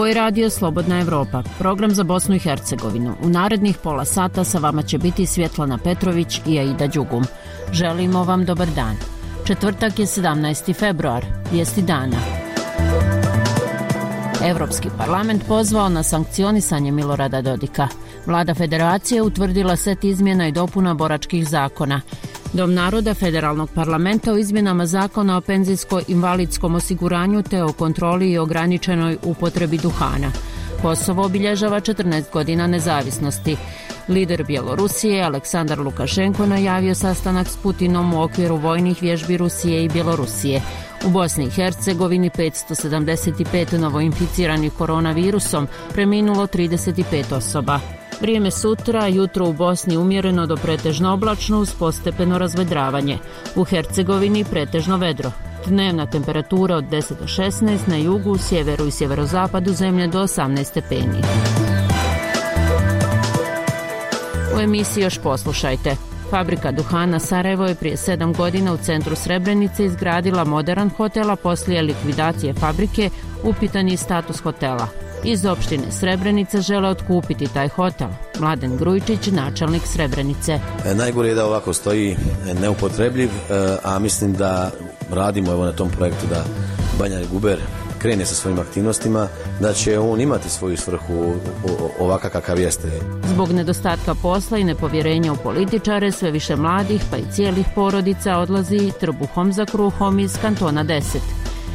Ovo je radio Slobodna Evropa, program za Bosnu i Hercegovinu. U narednih pola sata sa vama će biti Svjetlana Petrović i Aida Đugum. Želimo vam dobar dan. Četvrtak je 17. februar, vijesti dana. Evropski parlament pozvao na sankcionisanje Milorada Dodika. Vlada federacije utvrdila set izmjena i dopuna boračkih zakona. Dom naroda Federalnog parlamenta o izmjenama zakona o penzijsko-invalidskom osiguranju te o kontroli i ograničenoj upotrebi duhana. Kosovo obilježava 14 godina nezavisnosti. Lider Bjelorusije Aleksandar Lukašenko najavio sastanak s Putinom u okviru vojnih vježbi Rusije i Bjelorusije. U Bosni i Hercegovini 575 novoinficiranih koronavirusom, preminulo 35 osoba. Vrijeme sutra, jutro u Bosni umjereno do pretežno oblačno uz postepeno razvedravanje. U Hercegovini pretežno vedro. Dnevna temperatura od 10 do 16, na jugu, sjeveru i sjeverozapadu zemlje do 18 stepeni. U emisiji još poslušajte. Fabrika duhana Sarajevo je prije 7 godina u centru Srebrenice izgradila moderan hotel, a poslije likvidacije fabrike upitan je status hotela. Iz opštine Srebrenica žele otkupiti taj hotel. Mladen Grujičić, načelnik Srebrenice. Najgore je da ovako stoji neupotrebljiv, a mislim da radimo na tom projektu da Banja Guber krene sa svojim aktivnostima, da će on imati svoju svrhu ovakav kakav jeste. Zbog nedostatka posla i nepovjerenja u političare, sve više mladih pa i cijelih porodica odlazi trbuhom za kruhom iz kantona 10.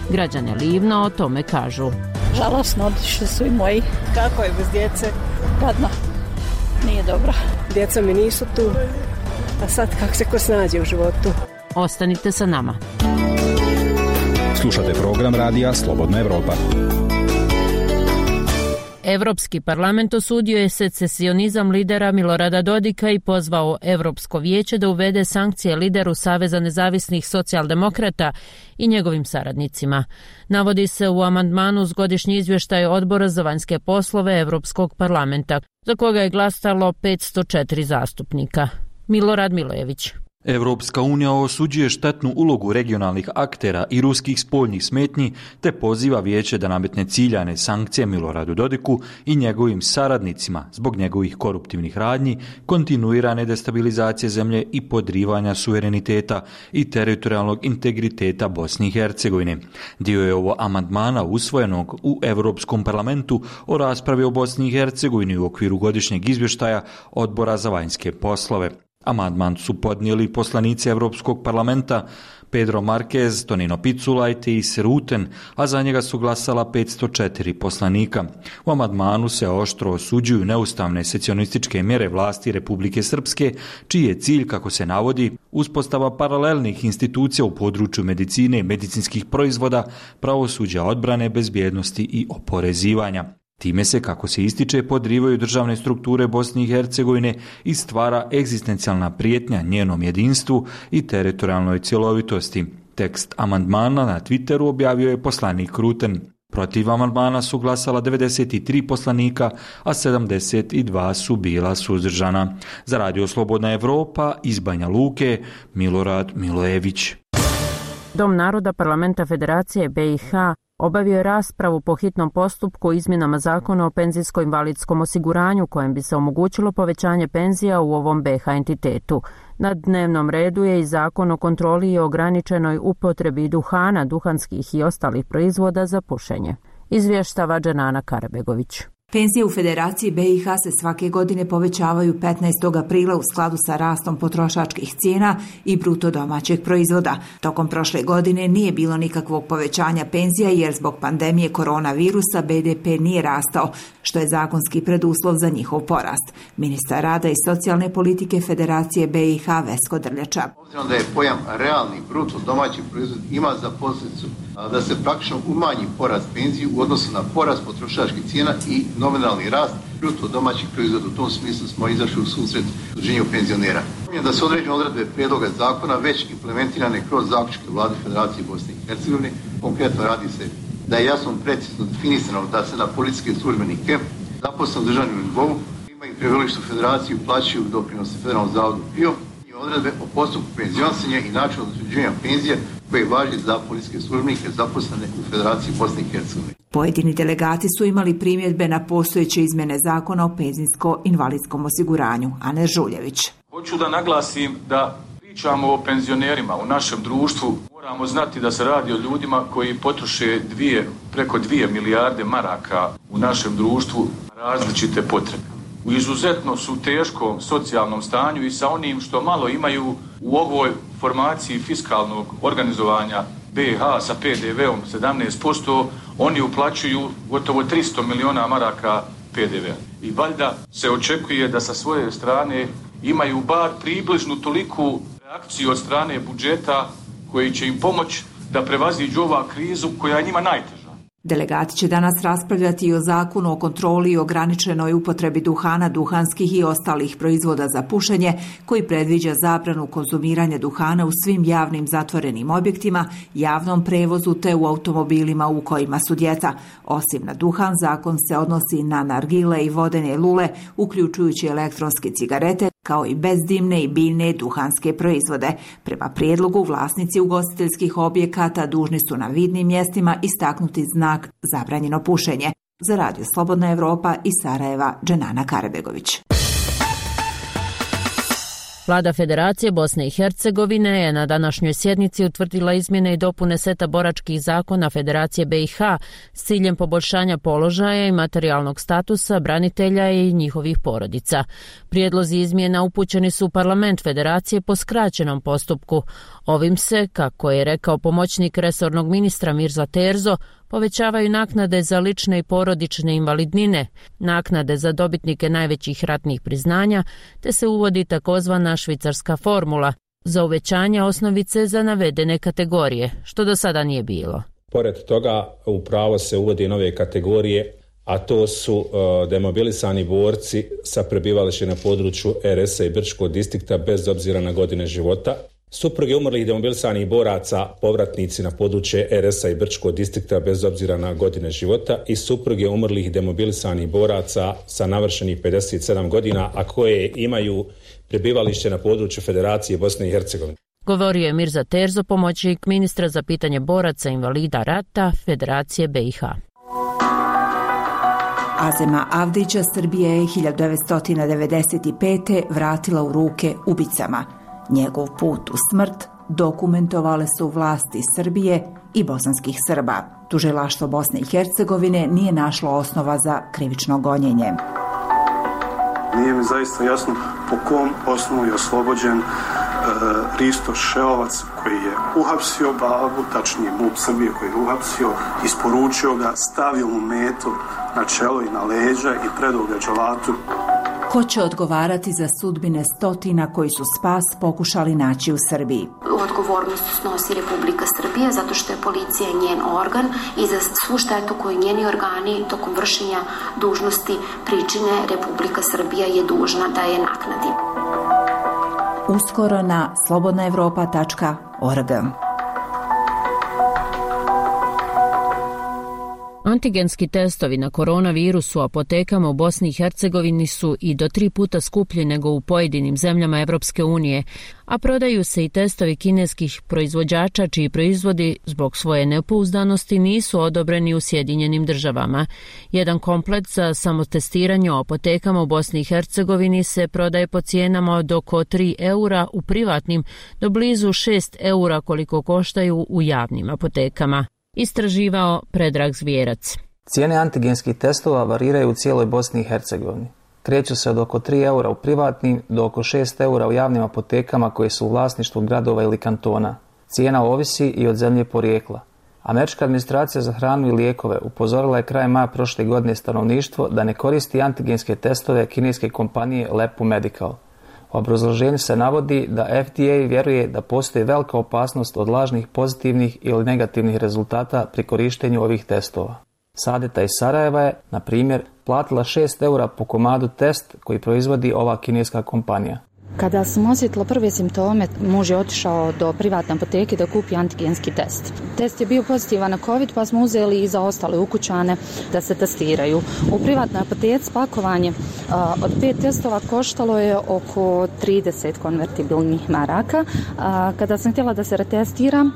Građane Livna o tome kažu. Žalosno, otišli su i moji. Kako je bez djece? Gadno. Nije dobro. Djeca mi nisu tu, a sad kako se ko snađe u životu. Ostanite sa nama. Slušate program radija Slobodna Evropa. Evropski parlament osudio je secesionizam lidera Milorada Dodika i pozvao Evropsko vijeće da uvede sankcije lideru Saveza nezavisnih socijaldemokrata i njegovim saradnicima. Navodi se u amandmanu uz godišnji izvještaj Odbora za vanjske poslove Evropskog parlamenta, za koga je glasalo 504 zastupnika. Milorad Milojević. Evropska unija osuđuje štetnu ulogu regionalnih aktera i ruskih spoljnih smetnji te poziva vijeće da nametne ciljane sankcije Miloradu Dodiku i njegovim saradnicima zbog njegovih koruptivnih radnji, kontinuirane destabilizacije zemlje i podrivanja suvereniteta i teritorijalnog integriteta Bosne i Hercegovine. Dio je ovo amandmana usvojenog u Evropskom parlamentu o raspravi o Bosni i Hercegovini u okviru godišnjeg izvještaja Odbora za vanjske poslove. Amandman su podnijeli poslanici Evropskog parlamenta Pedro Marquez, Tonino Picula i Thijs Ruten, a za njega su glasala 504 poslanika. U amandmanu se oštro osuđuju neustavne secesionističke mjere vlasti Republike Srpske, čiji je cilj, kako se navodi, uspostava paralelnih institucija u području medicine i medicinskih proizvoda, pravosuđa, odbrane, bezbjednosti i oporezivanja. Time se, kako se ističe, podrivaju državne strukture Bosne i Hercegovine i stvara egzistencijalna prijetnja njenom jedinstvu i teritorijalnoj cjelovitosti. Tekst amandmana na Twitteru objavio je poslanik Ruten. Protiv amandmana su glasala 93 poslanika, a 72 su bila suzdržana. Za Radio Slobodna Evropa iz Banja Luke, Milorad Milojević. Dom naroda Parlamenta Federacije BiH obavio je raspravu po hitnom postupku o izmjenama zakona o penzijsko-invalidskom osiguranju kojem bi se omogućilo povećanje penzija u ovom BiH entitetu. Na dnevnom redu je i zakon o kontroli i ograničenoj upotrebi duhana, duhanskih i ostalih proizvoda za pušenje. Izvještava Dženana Karabegović. Penzije u Federaciji BiH se svake godine povećavaju 15. aprila u skladu sa rastom potrošačkih cijena i bruto domaćeg proizvoda. Tokom prošle godine nije bilo nikakvog povećanja penzija jer zbog pandemije koronavirusa BDP nije rastao, što je zakonski preduslov za njihov porast. Ministar rada i socijalne politike Federacije BiH Vesko Drljača. Obzirom da je pojam realni bruto domaći proizvod ima za posljedicu da se praktično umanji porast penzije u odnosu na porast potrošačkih cijena i nominalni rast bruto domaćih proizvoda. U tom smislu smo izašli u susret udruženju penzionera. Da se određene odredbe prijedloga zakona već implementirane kroz zaključke Vlade Federacije Bosne i Hercegovine. Konkretno radi se da je jasno precizno definisano da se na policijske službenike zaposleni u državnom nivou imaju prebivalište u Federaciji plaćaju doprinose Federalnom zavodu PIO i odredbe o postupku penzionisanja i načinu utvrđivanja penzije koje važi za policijske službenike zaposlene u Federaciji Bosne i Hercegovine. Pojedini delegati su imali primjedbe na postojeće izmjene zakona o penzijsko-invalidskom osiguranju. Ane Žuljević. Hoću da naglasim da pričamo o penzionerima u našem društvu. Moramo znati da se radi o ljudima koji potroše preko 2 milijarde maraka u našem društvu različite potrebe. U izuzetno su teškom socijalnom stanju i sa onim što malo imaju u ovoj formaciji fiskalnog organizovanja BiH sa PDV-om 17%, oni uplaćuju gotovo 300 miliona maraka PDV-a. I valjda se očekuje da sa svoje strane imaju bar približnu toliku reakciju od strane budžeta koji će im pomoći da prevaziđu ovu krizu koja je njima najteža. Delegati će danas raspravljati i o zakonu o kontroli i ograničenoj upotrebi duhana, duhanskih i ostalih proizvoda za pušenje, koji predviđa zabranu konzumiranja duhana u svim javnim zatvorenim objektima, javnom prevozu te u automobilima u kojima su djeca. Osim na duhan, zakon se odnosi na nargile i vodene lule, uključujući elektronske cigarete, kao i bezdimne i biljne duhanske proizvode. Prema prijedlogu, vlasnici ugostiteljskih objekata dužni su na vidnim mjestima istaknuti znak zabranjeno pušenje. Za Radio Slobodna Evropa iz Sarajeva, Dženana Karebegović. Vlada Federacije Bosne i Hercegovine je na današnjoj sjednici utvrdila izmjene i dopune seta boračkih zakona Federacije BiH s ciljem poboljšanja položaja i materijalnog statusa branitelja i njihovih porodica. Prijedlozi izmjena upućeni su u parlament Federacije po skraćenom postupku. Ovim se, kako je rekao pomoćnik resornog ministra Mirza Terzo, povećavaju naknade za lične i porodične invalidnine, naknade za dobitnike najvećih ratnih priznanja, te se uvodi takozvana švicarska formula za uvećanje osnovice za navedene kategorije, što do sada nije bilo. Pored toga, u pravo se uvodi nove kategorije, a to su demobilisani borci sa prebivalištem na području RS-a i Brčkog distrikta bez obzira na godine života, supruge umrlih demobilisanih boraca, povratnici na područje RS-a i Brčkog distrikta bez obzira na godine života i supruge umrlih demobilisanih boraca sa navršenih 57 godina, a koje imaju prebivalište na području Federacije Bosne i Hercegovine. Govorio je Mirza Terzo, pomoćnik ministra za pitanje boraca invalida rata Federacije BiH. Azema Avdića Srbije je 1995. vratila u ruke ubicama. Njegov put u smrt dokumentovale su vlasti Srbije i bosanskih Srba. Tužilaštvo Bosne i Hercegovine nije našlo osnova za krivično gonjenje. Nije mi zaista jasno po kom osnovu je oslobođen Risto Šeovac koji je uhapsio babu, tačnije MUP Srbije koji je uhapsio, isporučio ga, stavio mu metu na čelo i na leđa i predao ga dželatu. Ko će odgovarati za sudbine stotina koji su spas pokušali naći u Srbiji? Odgovornost snosi Republika Srbija zato što je policija njen organ i za svu štetu koju njeni organi tokom vršenja dužnosti pričine Republika Srbija je dužna da je naknadi. Uskoro na slobodnaevropa.org. Antigenski testovi na koronavirus u apotekama u Bosni i Hercegovini su i do 3 puta skuplji nego u pojedinim zemljama Evropske unije, a prodaju se i testovi kineskih proizvođača čiji proizvodi zbog svoje nepouzdanosti nisu odobreni u Sjedinjenim državama. Jedan komplet za samotestiranje u apotekama u Bosni i Hercegovini se prodaje po cijenama od oko 3 eura u privatnim do blizu 6 eura koliko koštaju u javnim apotekama. Istraživao Predrag Zvijerac. Cijene antigenskih testova variraju u cijeloj Bosni i Hercegovini. Kreću se od oko 3 eura u privatnim do oko 6 eura u javnim apotekama koje su u vlasništvu gradova ili kantona. Cijena ovisi i od zemlje porijekla. Američka administracija za hranu i lijekove upozorila je krajem maja prošle godine stanovništvo da ne koristi antigenske testove kineske kompanije Lepu Medical. U obrazloženju se navodi da FDA vjeruje da postoji velika opasnost od lažnih pozitivnih ili negativnih rezultata pri korištenju ovih testova. Sadeta iz Sarajeva je, na primjer, platila 6 eura po komadu test koji proizvodi ova kineska kompanija. Kada sam osjetila prve simptome, muž je otišao do privatne apoteke da kupi antigenski test. Test je bio pozitivan na COVID, pa smo uzeli i za ostale ukućane da se testiraju. U privatnoj apoteci pakovanje od 5 testova koštalo je oko 30 konvertibilnih maraka. Kada sam htjela da se retestiram,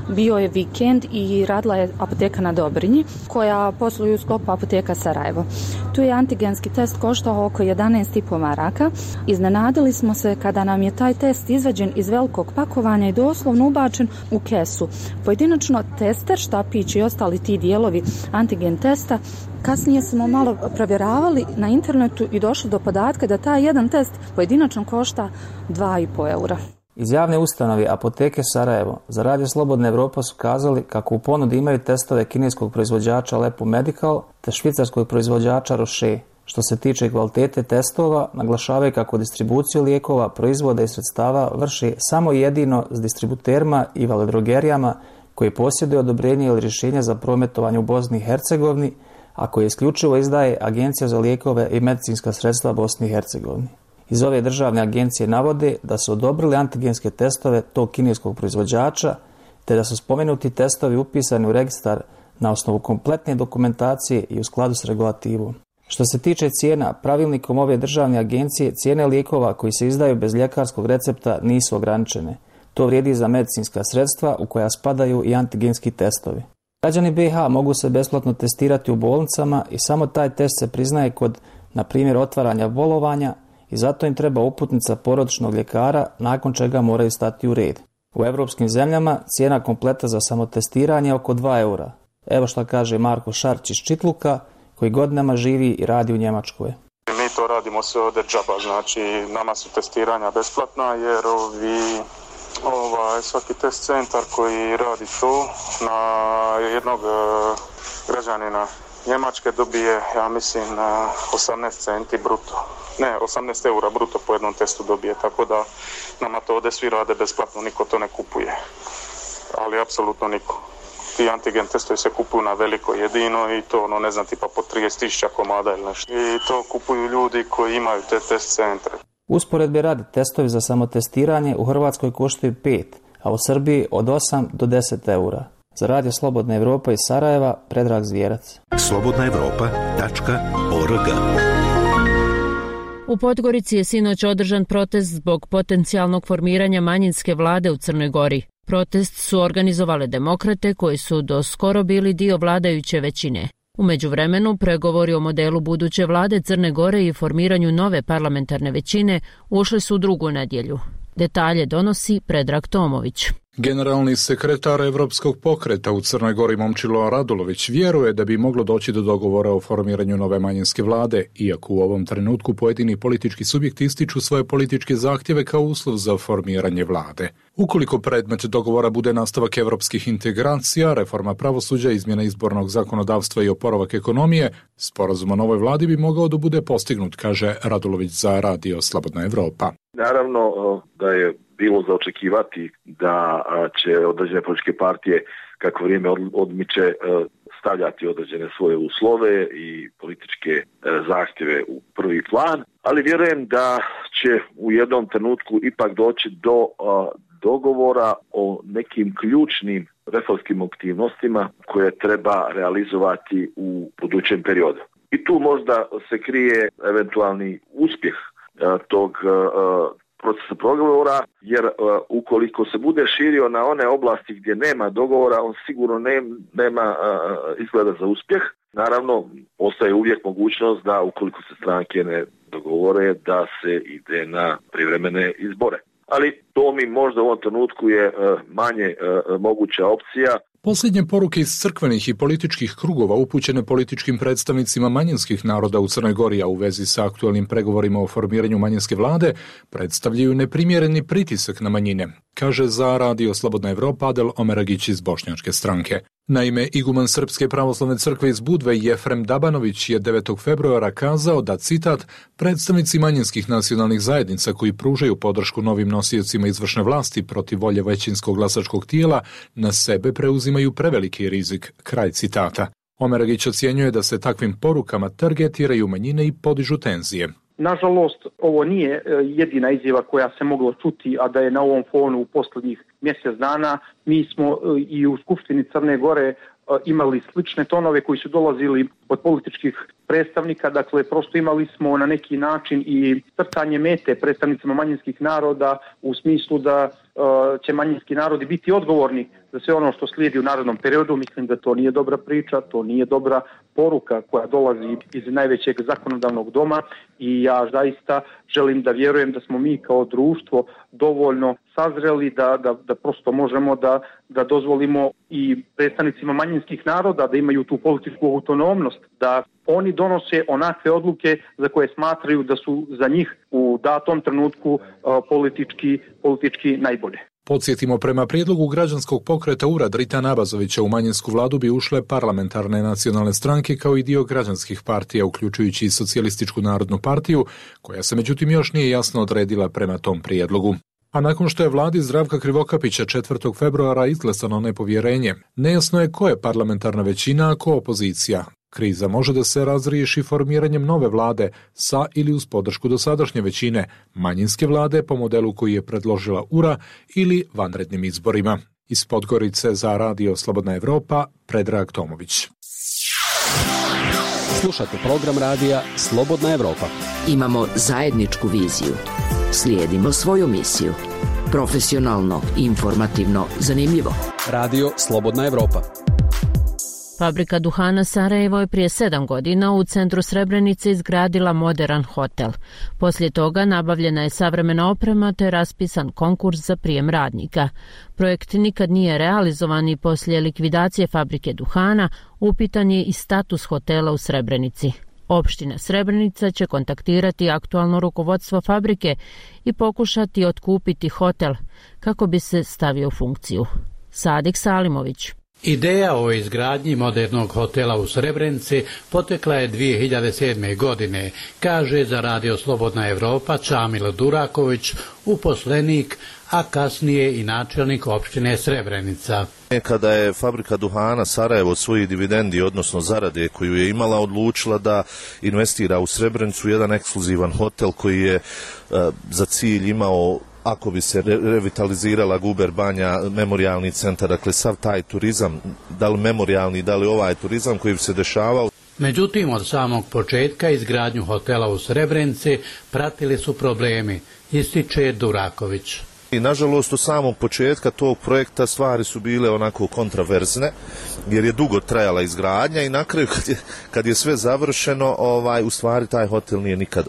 bio je vikend i radila je apoteka na Dobrinji, koja posluje u sklopu apoteka Sarajevo. Tu je antigenski test koštao oko 11,5 maraka. Iznenadili smo se kada nam je taj test izvađen iz velikog pakovanja i doslovno ubačen u kesu. Pojedinačno tester, štapić i ostali ti dijelovi antigen testa. Kasnije smo malo provjeravali na internetu i došli do podatka da taj jedan test pojedinačno košta 2,5 eura. Iz javne ustanove Apoteke Sarajevo za Radio Slobodna Evropa su kazali kako u ponudi imaju testove kineskog proizvođača Lepu Medical te švicarskog proizvođača Roche. Što se tiče kvalitete testova, naglašavaju kako distribuciju lijekova, proizvoda i sredstava vrši samo jedino s distributerima i veledrogerijama koji posjeduju odobrenje ili rješenje za prometovanje u Bosni i Hercegovini, a koje isključivo izdaje Agencija za lijekove i medicinska sredstva Bosni i Hercegovini. Iz ove državne agencije navode da su odobrili antigenske testove tog kineskog proizvođača, te da su spomenuti testovi upisani u registar na osnovu kompletne dokumentacije i u skladu s regulativom. Što se tiče cijena, pravilnikom ove državne agencije cijene lijekova koji se izdaju bez ljekarskog recepta nisu ograničene. To vrijedi za medicinska sredstva u koja spadaju i antigenski testovi. Građani BiH mogu se besplatno testirati u bolnicama i samo taj test se priznaje kod, na primjer, otvaranja bolovanja i zato im treba uputnica porodičnog ljekara, nakon čega moraju stati u red. U europskim zemljama cijena kompleta za samotestiranje je oko 2 eura. Evo što kaže Marko Šarć iz Čitluka, koji godinama živi i radi u Njemačkoj. Mi to radimo sve ovdje džaba, znači nama su testiranja besplatna jer svaki test centar koji radi to na jednog građanina Njemačke dobije, ja mislim, 18 centi bruto. Ne, 18 eura bruto po jednom testu dobije, tako da nama to ovdje svi rade besplatno, niko to ne kupuje. Ali apsolutno niko. Ti antigen testovi se kupuju na veliko jedino i to, ne znam, tipa po 30.000 komada ili nešto. I to kupuju ljudi koji imaju te test centre. Usporedbe radi, testovi za samotestiranje u Hrvatskoj koštaju 5, a u Srbiji od 8 do 10 eura. Za Radio Slobodna Evropa iz Sarajeva, Predrag Zvijerac. slobodnaevropa.org. U Podgorici je sinoć održan protest zbog potencijalnog formiranja manjinske vlade u Crnoj Gori. Protest su organizovale demokrate koji su do skoro bili dio vladajuće većine. U međuvremenu, pregovori o modelu buduće vlade Crne Gore i formiranju nove parlamentarne većine ušli su u drugu nedjelju. Detalje donosi Predrag Tomović. Generalni sekretar Evropskog pokreta u Crnoj Gori Momčilo Radulović vjeruje da bi moglo doći do dogovora o formiranju nove manjinske vlade, iako u ovom trenutku pojedini politički subjekti ističu svoje političke zahtjeve kao uslov za formiranje vlade. Ukoliko predmet dogovora bude nastavak evropskih integracija, reforma pravosuđa, izmjena izbornog zakonodavstva i oporavak ekonomije, sporazum o novoj vladi bi mogao da bude postignut, kaže Radulović za Radio Slobodna Evropa. Naravno da je bilo za očekivati da će određene političke partije, kako vrijeme odmiče, stavljati određene svoje uslove i političke zahtjeve u prvi plan, ali vjerujem da će u jednom trenutku ipak doći do dogovora o nekim ključnim reformskim aktivnostima koje treba realizovati u budućem periodu. I tu možda se krije eventualni uspjeh tog procesa pregovora, jer ukoliko se bude širio na one oblasti gdje nema dogovora, on sigurno nema izgleda za uspjeh. Naravno, postoji uvijek mogućnost da ukoliko se stranke ne dogovore, da se ide na privremene izbore. Ali to mi možda u ovom trenutku je manje moguća opcija. Posljednje poruke iz crkvenih i političkih krugova upućene političkim predstavnicima manjinskih naroda u Crnoj Gori, a u vezi sa aktualnim pregovorima o formiranju manjinske vlade, predstavljaju neprimjereni pritisak na manjine, kaže za Radio Slobodna Evropa Adel Omeragić iz Bošnjačke stranke. Naime, iguman Srpske pravoslavne crkve iz Budve Jefrem Dabanović je 9. februara kazao da, citat, predstavnici manjinskih nacionalnih zajednica koji pružaju podršku novim nosiocima izvršne vlasti protiv volje većinskog glasačkog tijela na sebe preuzimaju preveliki rizik, kraj citata. Omeragić ocjenjuje da se takvim porukama targetiraju manjine i podižu tenzije. Nažalost, ovo nije jedina izjava koja se mogla čuti, a da je na ovom fonu u posljednjih mjesec dana. Mi smo i u Skupštini Crne Gore imali slične tonove koji su dolazili od političkih predstavnika, dakle prosto imali smo na neki način i crtanje mete predstavnicima manjinskih naroda u smislu da će manjinski narodi biti odgovorni za sve ono što slijedi u narednom periodu. Mislim da to nije dobra priča, to nije dobra poruka koja dolazi iz najvećeg zakonodavnog doma i ja zaista želim da vjerujem da smo mi kao društvo dovoljno sazreli da prosto možemo da dozvolimo i predstavnicima manjinskih naroda da imaju tu političku autonomnost, da oni donose onakve odluke za koje smatraju da su za njih u datom trenutku politički najbolje. Podsjetimo, prema prijedlogu građanskog pokreta URA Dritana Abazovića u manjinsku vladu bi ušle parlamentarne nacionalne stranke kao i dio građanskih partija, uključujući i Socijalističku narodnu partiju, koja se međutim još nije jasno odredila prema tom prijedlogu. A nakon što je vladi Zdravka Krivokapića 4. februara izglasano nepovjerenje, nejasno je ko je parlamentarna većina, a ko opozicija. Kriza može da se razriješi formiranjem nove vlade sa ili uz podršku dosadašnje većine, manjinske vlade po modelu koji je predložila URA ili vanrednim izborima. Iz Podgorice za Radio Slobodna Evropa, Predrag Tomović. Slušate program radija Slobodna Evropa. Imamo zajedničku viziju. Slijedimo svoju misiju. Profesionalno, informativno, zanimljivo. Radio Slobodna Evropa. Fabrika duhana Sarajevo je prije 7 godina u centru Srebrenice izgradila moderan hotel. Poslije toga nabavljena je savremena oprema te raspisan konkurs za prijem radnika. Projekt nikad nije realizovan i poslije likvidacije fabrike duhana upitan je i status hotela u Srebrenici. Opština Srebrenica će kontaktirati aktualno rukovodstvo fabrike i pokušati otkupiti hotel kako bi se stavio u funkciju. Sadik Salimović. Ideja o izgradnji modernog hotela u Srebrenici potekla je 2007. godine, kaže za Radio Slobodna Evropa Čamil Duraković, uposlenik, a kasnije i načelnik opštine Srebrenica. Kada je fabrika duhana Sarajevo svoji dividendi, odnosno zarade koju je imala, odlučila da investira u Srebrenicu jedan ekskluzivan hotel koji je za cilj imao, ako bi se revitalizirala Guber Banja, memorijalni centar, dakle sav taj turizam, da li memorijalni, da li ovaj turizam koji bi se dešavao. Međutim, od samog početka izgradnju hotela u Srebrenici pratili su problemi, ističe Duraković. I nažalost, od samog početka tog projekta stvari su bile onako kontraverzne, jer je dugo trajala izgradnja i na kraju kad je sve završeno, u stvari taj hotel nije nikad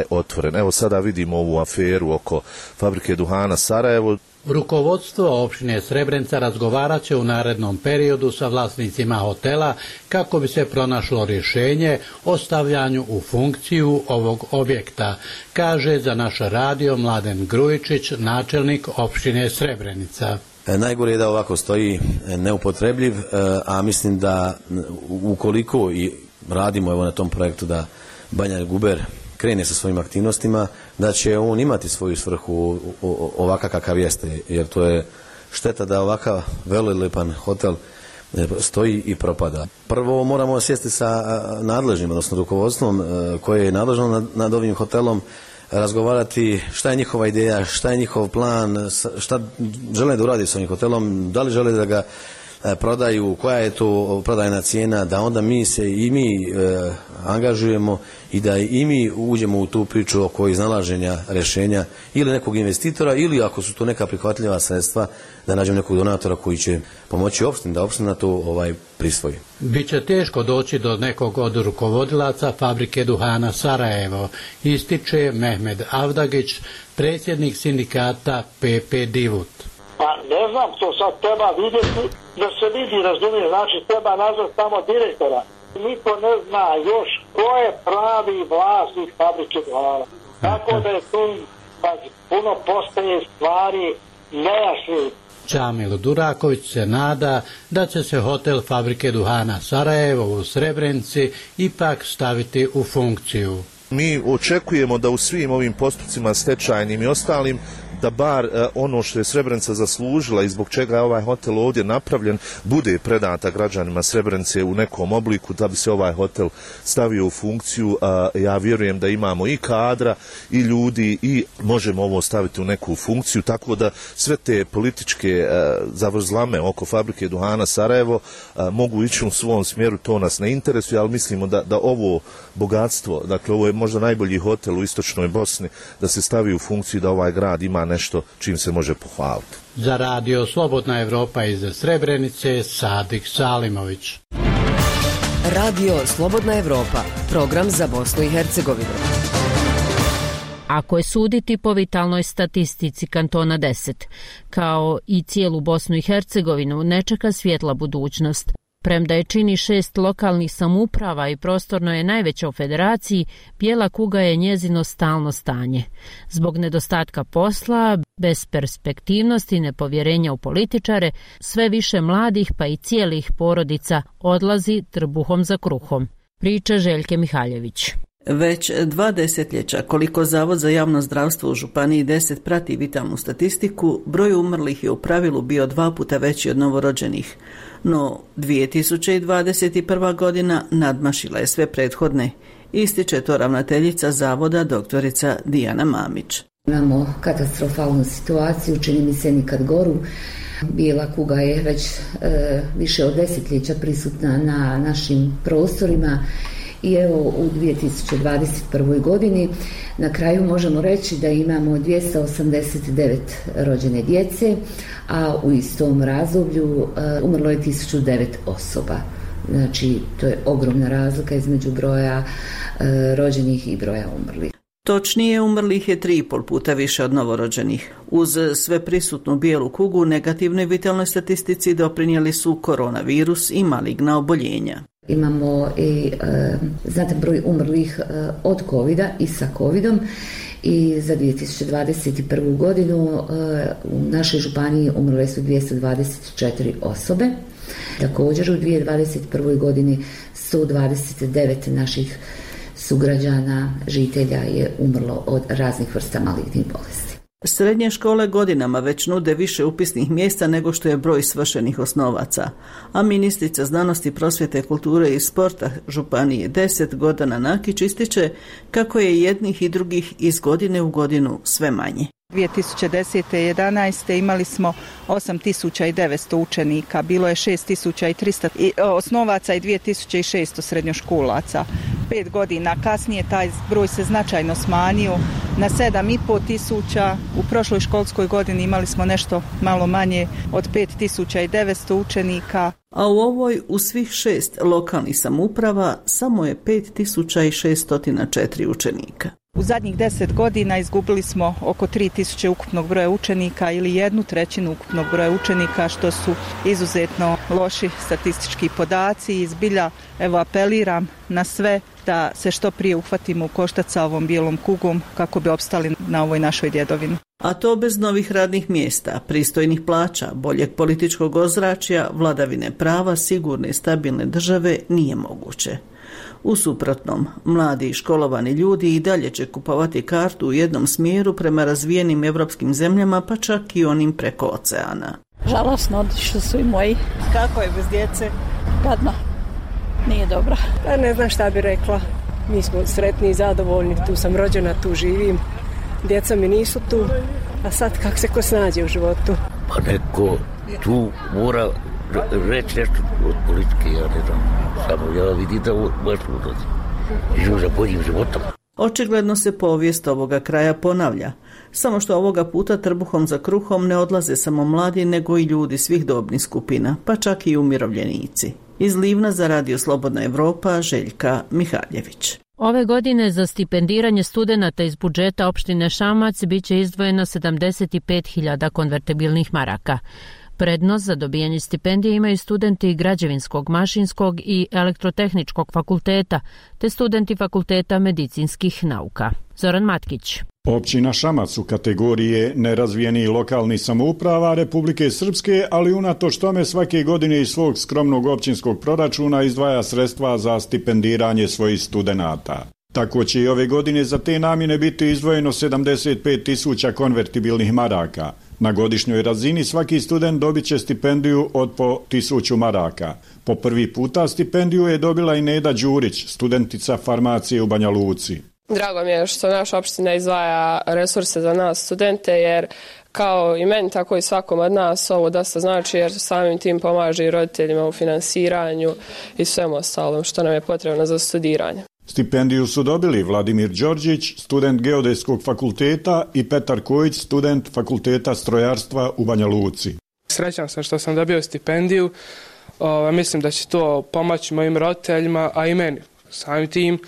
otvoren. Evo sada vidimo ovu aferu oko fabrike duhana Sarajevo. Rukovodstvo opštine Srebrenica razgovarat će u narednom periodu sa vlasnicima hotela kako bi se pronašlo rješenje o stavljanju u funkciju ovog objekta, kaže za naš radio Mladen Grujičić, načelnik opštine Srebrenica. Najgore je da ovako stoji neupotrebljiv, a mislim da ukoliko i radimo na tom projektu da Banja Guber krene sa svojim aktivnostima, da će on imati svoju svrhu ovakav kakav jeste, jer to je šteta da ovakav velelepan hotel stoji i propada. Prvo moramo sjesti sa nadležnim, odnosno rukovodstvom koje je nadležno nad ovim hotelom, razgovarati šta je njihova ideja, šta je njihov plan, šta žele da uradi s ovim hotelom, da li žele da ga prodaju, koja je to prodajna cijena, da onda mi angažujemo i da i mi uđemo u tu priču oko iznalaženja rješenja ili nekog investitora, ili ako su to neka prihvatljiva sredstva, da nađemo nekog donatora koji će pomoći opštini, da opština to prisvoji. Biće teško doći do nekog od rukovodilaca fabrike duhana Sarajevo, ističe Mehmed Avdagić, predsjednik sindikata PP Divut. Pa ne znam, to sad treba vidjeti da se vidi, razumije, znači treba nazvati tamo direktora. Niko ne zna još ko je pravi vlasnik fabrike duhana. Tako da je tu puno postaje stvari nejasni. Čamil Duraković se nada da će se hotel fabrike duhana Sarajevo u Srebrenici ipak staviti u funkciju. Mi očekujemo da u svim ovim postupcima stečajnim i ostalim da bar ono što je Srebrenica zaslužila i zbog čega je ovaj hotel ovdje napravljen bude predata građanima Srebrenice u nekom obliku, da bi se ovaj hotel stavio u funkciju. Ja vjerujem da imamo i kadra i ljudi i možemo ovo staviti u neku funkciju, tako da sve te političke zavrzlame oko fabrike duhana Sarajevo mogu ići u svom smjeru, to nas ne interesuje, ali mislimo da ovo bogatstvo, dakle ovo je možda najbolji hotel u istočnoj Bosni, da se stavi u funkciju da ovaj grad ima nešto čim se može pohvaliti. Za radio Slobodna Evropa iz Srebrenice, Sadik Salimović. Radio Slobodna Evropa, program za Bosnu i Hercegovinu. Ako je suditi po vitalnoj statistici kantona 10, kao i cijelu Bosnu i Hercegovinu, ne čeka svjetla budućnost. Premda je čini 6 lokalnih samouprava i prostorno je najveća u federaciji, bijela kuga je njezino stalno stanje. Zbog nedostatka posla, besperspektivnosti i nepovjerenja u političare, sve više mladih pa i cijelih porodica odlazi trbuhom za kruhom. Priča Željke Mihaljević. Već 2 desetljeća, koliko Zavod za javno zdravstvo u Županiji 10 prati vitalnu statistiku, broj umrlih je u pravilu bio 2 puta veći od novorođenih. No, 2021. godina nadmašila je sve prethodne. Ističe to ravnateljica Zavoda doktorica Dijana Mamić. Imamo katastrofalnu situaciju, čini mi se nikad goru. Bijela kuga je već više od desetljeća prisutna na našim prostorima. I evo u 2021. godini na kraju možemo reći da imamo 289 rođene djece, a u istom razdoblju umrlo je 1009 osoba. Znači, to je ogromna razlika između broja rođenih i broja umrlih. Točnije, umrlih je 3,5 puta više od novorođenih. Uz sve prisutnu bijelu kugu, negativnoj vitalnoj statistici doprinijeli su koronavirus i maligna oboljenja. Imamo i znatan broj umrlih od covida i sa covidom i za 2021. godinu u našoj županiji umrle su 224 osobe. Također u 2021. godini 129 naših sugrađana, žitelja je umrlo od raznih vrsta malignih bolesti. Srednje škole godinama već nude više upisnih mjesta nego što je broj svršenih osnovaca, a ministrica znanosti, prosvjete, kulture i sporta Županije 10 Gordana Nakić ističe kako je jednih i drugih iz godine u godinu sve manje. 2010. i 2011. imali smo 8.900 učenika, bilo je 6.300 osnovaca i 2.600 srednjoškolaca. 5 godina kasnije taj broj se značajno smanjio na 7.500, u prošloj školskoj godini imali smo nešto malo manje od 5.900 učenika. A u ovoj u svih 6 lokalnih samouprava samo je 5.604 učenika. U zadnjih 10 godina izgubili smo oko 3.000 ukupnog broja učenika ili 1/3 ukupnog broja učenika, što su izuzetno loši statistički podaci i zbilja evo apeliram na sve da se što prije uhvatimo u koštac sa ovom bijelom kugom kako bi opstali na ovoj našoj djedovini. A to bez novih radnih mjesta, pristojnih plaća, boljeg političkog ozračja, vladavine prava, sigurne i stabilne države nije moguće. U suprotnom, mladi i školovani ljudi i dalje će kupovati kartu u jednom smjeru prema razvijenim evropskim zemljama, pa čak i onim preko oceana. Žalosno, otišli su i moji. Kako je bez djece? Gadno. Nije dobro. Pa ne znam šta bi rekla. Mi smo sretni i zadovoljni. Tu sam rođena, tu živim. Djeca mi nisu tu. A sad kako se ko snađe u životu? Pa neko tu mora reći nešto od politike, ja ne znam. Samo ja vidim da baš ulazi. Živu za boljim životom. Očigledno se povijest ovoga kraja ponavlja. Samo što ovoga puta trbuhom za kruhom ne odlaze samo mladi, nego i ljudi svih dobnih skupina, pa čak i umirovljenici. Iz Livna za Radio Slobodna Evropa, Željka Mihaljević. Ove godine za stipendiranje studenata iz budžeta opštine Šamac biće izdvojeno 75.000 konvertibilnih maraka. Prednost za dobijanje stipendije imaju studenti građevinskog, mašinskog i elektrotehničkog fakulteta, te studenti fakulteta medicinskih nauka. Zoran Matkić. Općina Šamac u kategorije nerazvijenih lokalnih samouprava Republike Srpske, ali unatoč tome svake godine iz svog skromnog općinskog proračuna izdvaja sredstva za stipendiranje svojih studenata. Tako će i ove godine za te namjene biti izdvojeno 75.000 konvertibilnih maraka. Na godišnjoj razini svaki student dobit će stipendiju od po 1.000 maraka. Po prvi puta stipendiju je dobila i Neda Đurić, studentica farmacije u Banja Luci. Drago mi je što naša opština izdvaja resurse za nas studente, jer kao i meni, tako i svakom od nas ovo dosta znači, jer samim tim pomaže i roditeljima u finansiranju i svemu ostalom što nam je potrebno za studiranje. Stipendiju su dobili Vladimir Đorđić, student Geodetskog fakulteta, i Petar Kojić, student Fakulteta strojarstva u Banja Luci. Srećan sam što sam dobio stipendiju. Mislim da će to pomoći mojim roditeljima, a i meni samim tim,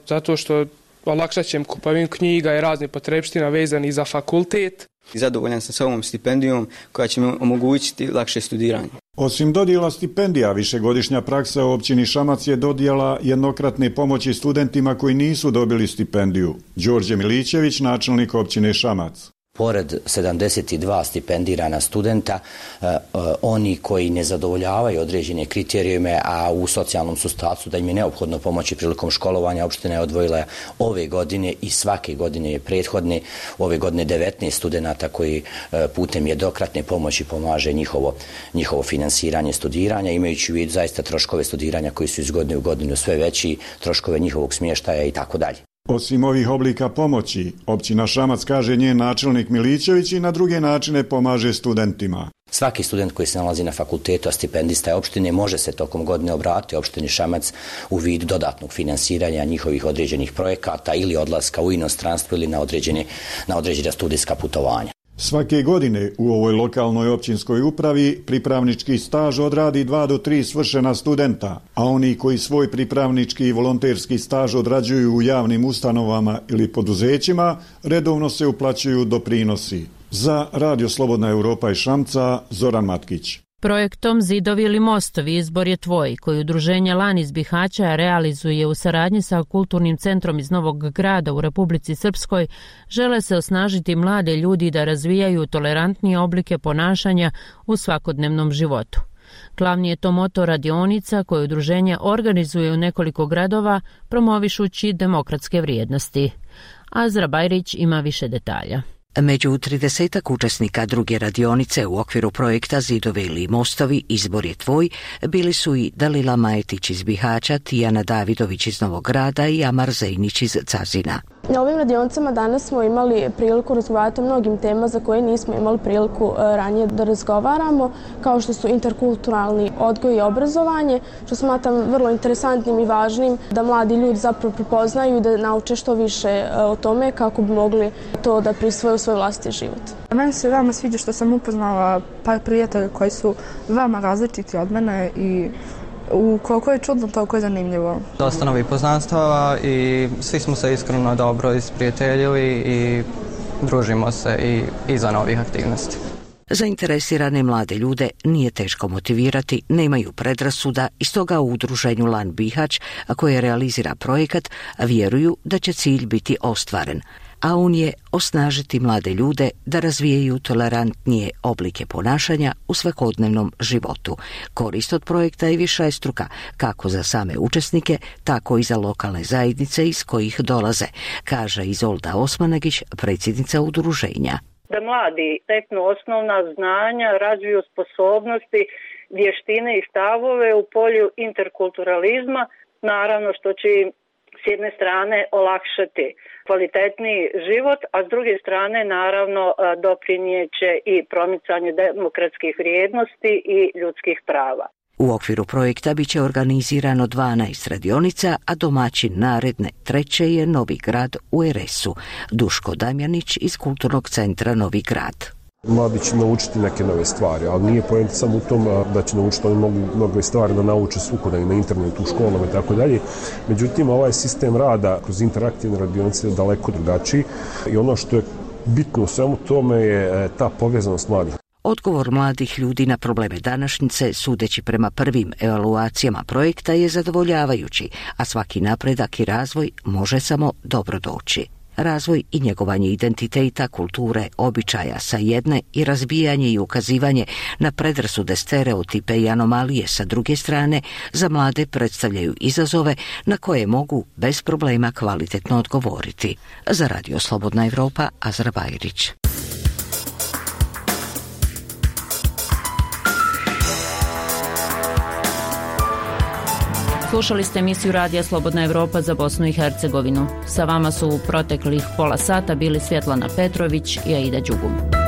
zato što olakšat će im kupovinu knjiga i raznih potrepština vezanih za fakultet. Zadovoljan sam sa ovom stipendijom koja će mi omogućiti lakše studiranje. Osim dodjela stipendija, višegodišnja praksa u općini Šamac je dodjela jednokratne pomoći studentima koji nisu dobili stipendiju. Đorđe Milićević, načelnik općine Šamac. Pored 72 stipendirana studenta, oni koji ne zadovoljavaju određene kriterijume, a u socijalnom su statusu da im je neophodno pomoći prilikom školovanja, opština je odvojila ove godine i svake godine je prethodne, ove godine 19 studenata koji putem jednokratne pomoći pomaže njihovo finansiranje studiranja, imajući u vidu zaista troškove studiranja koji su iz godine u godinu sve veći, troškove njihovog smještaja i tako dalje. Osim ovih oblika pomoći, općina Šamac, kaže njen načelnik Milićević, i na druge načine pomaže studentima. Svaki student koji se nalazi na fakultetu, a stipendista je opštine, može se tokom godine obratiti opštini Šamac u vidu dodatnog finansiranja njihovih određenih projekata ili odlaska u inostranstvo ili na određena studijska putovanja. Svake godine u ovoj lokalnoj općinskoj upravi pripravnički staž odradi 2 do 3 svršena studenta, a oni koji svoj pripravnički i volonterski staž odrađuju u javnim ustanovama ili poduzećima, redovno se uplaćuju doprinosi. Za Radio Slobodna Europa iz Šamca, Zoran Matkić. Projektom Zidovi ili mostovi izbor je tvoj, koji udruženje Lan iz Bihaća realizuje u saradnji sa Kulturnim centrom iz Novog Grada u Republici Srpskoj, žele se osnažiti mlade ljudi da razvijaju tolerantnije oblike ponašanja u svakodnevnom životu. Glavni je to moto radionica koje udruženje organizuje u nekoliko gradova, promovišući demokratske vrijednosti. Azra Bajrić ima više detalja. Među 30 učesnika druge radionice u okviru projekta Zidovi ili mostovi izbor je tvoj bili su i Dalila Majetić iz Bihaća, Tijana Davidović iz Novog Grada i Amar Zejnić iz Cazina. Na ovim radionicama danas smo imali priliku razgovarati o mnogim tema za koje nismo imali priliku ranije da razgovaramo, kao što su interkulturalni odgoj i obrazovanje, što smatram vrlo interesantnim i važnim da mladi ljudi zapravo prepoznaju i da nauče što više o tome kako bi mogli to da prisvoje u svoj vlastiti život. Meni se veoma sviđa što sam upoznala par prijatelja koji su veoma različiti od mene i koliko je čudno, toliko je zanimljivo. Dosta novih poznanstava i svi smo se iskreno dobro isprijateljili i družimo se i iza novih aktivnosti. Zainteresirane mlade ljude nije teško motivirati, nemaju predrasuda i stoga u udruženju Lan Bihać, koje realizira projekat, vjeruju da će cilj biti ostvaren, a on je osnažiti mlade ljude da razvijaju tolerantnije oblike ponašanja u svakodnevnom životu. Korist od projekta je višestruka, kako za same učesnike, tako i za lokalne zajednice iz kojih dolaze, kaže Izolda Osmanagić, predsjednica udruženja. Da mladi steknu osnovna znanja, razviju sposobnosti, vještine i stavove u polju interkulturalizma, naravno što će im s jedne strane olakšati kvalitetniji život, a s druge strane naravno doprinijeće i promicanju demokratskih vrijednosti i ljudskih prava. U okviru projekta biće organizirano 12 radionica, a domaćin naredne 3. je Novi Grad u RS-u. Duško Damjanić iz Kulturnog centra Novi Grad. Mladi će naučiti neke nove stvari, ali nije poenta samo u tom da će naučiti, oni mogu mnogo stvari da nauče svukuda na internetu, u školama i tako dalje. Međutim, ovaj sistem rada kroz interaktivne radionice je daleko drugačiji i ono što je bitno u svemu tome je ta povezanost mladih. Odgovor mladih ljudi na probleme današnjice, sudeći prema prvim evaluacijama projekta, je zadovoljavajući, a svaki napredak i razvoj može samo dobro doći. razvoj i njegovanje identiteta, kulture, običaja sa jedne i razbijanje i ukazivanje na predrasude, stereotipe i anomalije sa druge strane za mlade predstavljaju izazove na koje mogu bez problema kvalitetno odgovoriti. Za Radio Slobodna Evropa, Azra Bajrić. Slušali ste emisiju Radija Slobodna Evropa za Bosnu i Hercegovinu. Sa vama su u proteklih pola sata bili Svjetlana Petrović i Aida Đugum.